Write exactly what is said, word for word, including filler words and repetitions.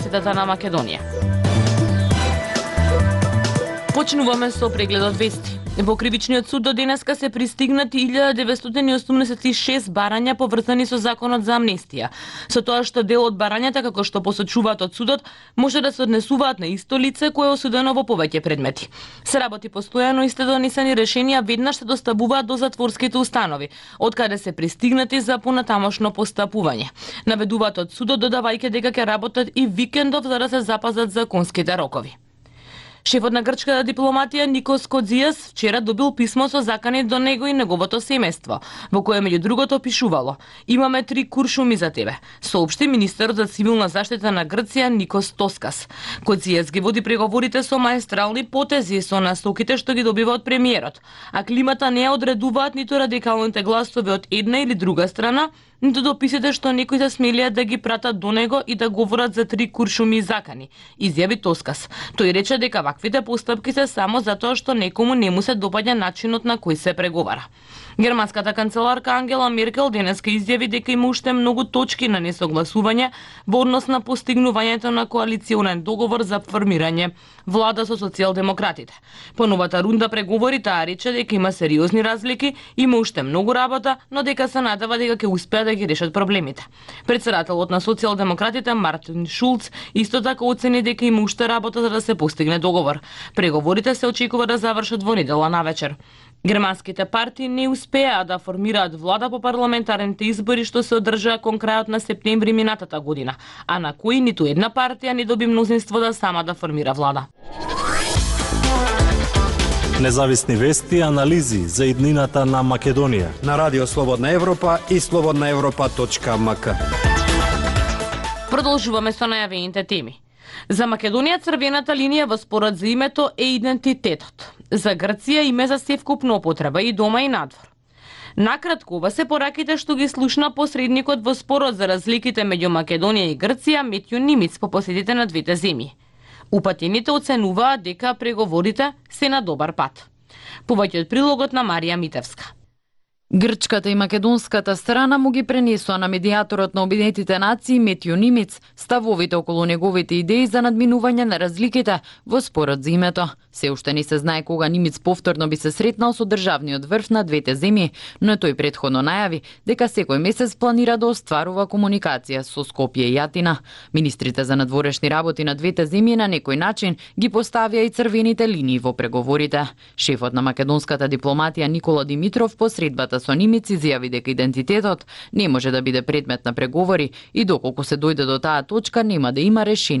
Сетата на Македонија. Почнуваме со прегледот вести. Во Кривичниот суд до денеска се пристигнати илјада деветстотини и осумдесет и шест барања поврзани со законот за амнестија. Со тоа што дел од барањата, како што посочуваат од судот, може да се однесуваат на исто лице кое е осудено во повеќе предмети. Се работи постојано и сте донесени решенија веднаш се доставуваат до затворските установи, од каде се пристигнати за понатамошно постапување. Наведуваат од судот, додавајќи дека ќе работат и викендов за да се запазат законските рокови. Шефот на грчката дипломатија Никос Кодзијас вчера добил писмо со закани до него и неговото семејство, во кое меѓу другото пишувало: "Имаме три куршуми за тебе", соопшти министерот за цивилна заштита на Грција Никос Тоскас. Кодзијас ги води преговорите со маестрални потези со насоките што ги добива од премиерот, а климата не ја одредуваат ниту радикалните гласови од една или друга страна, ниту дописите што некои се смелиат да ги пратат до него и да говорат за три куршуми и закани, изјави Тоскас. Тој рече дека ваквите постапки се само затоа што некому не му се допаѓа начинот на кој се преговара. Германската канцеларка Ангела Меркел денеска изјави дека има уште многу точки на несогласување во однос на постигнувањето на коалиционен договор за формирање влада со социјалдемократите. По новата рунда преговори таа рече дека има сериозни разлики, има уште многу работа, но дека се надева дека ќе успеат да ги решат проблемите. Председателот на социјалдемократите Мартин Шулц исто така оцени дека има уште работа за да се постигне договор. Преговорите се очекува да завршат во недела навечер. Германските партии не успеа да формираат влада по парламентарните избори што се одржаа кон крајот на септември минатата година, а на кои ниту една партија не доби мнозинство да сама да формира влада. Независни вести и анализи за иднината на Македонија на Радио Слободна Европа и слободна европа точка ем ка. Продолжуваме со најавените теми. За Македонија црвената линија во спорот за името е идентитетот. За Грција име за севкупна употреба и дома и надвор. Накратко, ова се пораките што ги слушна посредникот во спорот за разликите меѓу Македонија и Грција Метју Нимиц по поседите на двете земји. Упатените оценуваат дека преговорите се на добар пат. Повеќе од прилогот на Марија Митевска. Грчката и македонската страна му ги пренесоа на медијаторот на Обединетите нации Метју Нимиц ставовите околу неговите идеи за надминување на разликите во спорот за името. Се уште не се знае кога Нимиц повторно би се сретнал со државниот врв на двете земји, но тој претходно најави дека секој месец планира да остварува комуникација со Скопје и Атина. Министрите за надворешни работи на двете земји на некој начин ги поставија и црвените линии во преговорите. Шефот на македонската дипломатија Никола Димитров посредбата со Нимиц изјави дека идентитетот не може да биде предмет на преговори и доколку се дојде до таа точка нема да има решение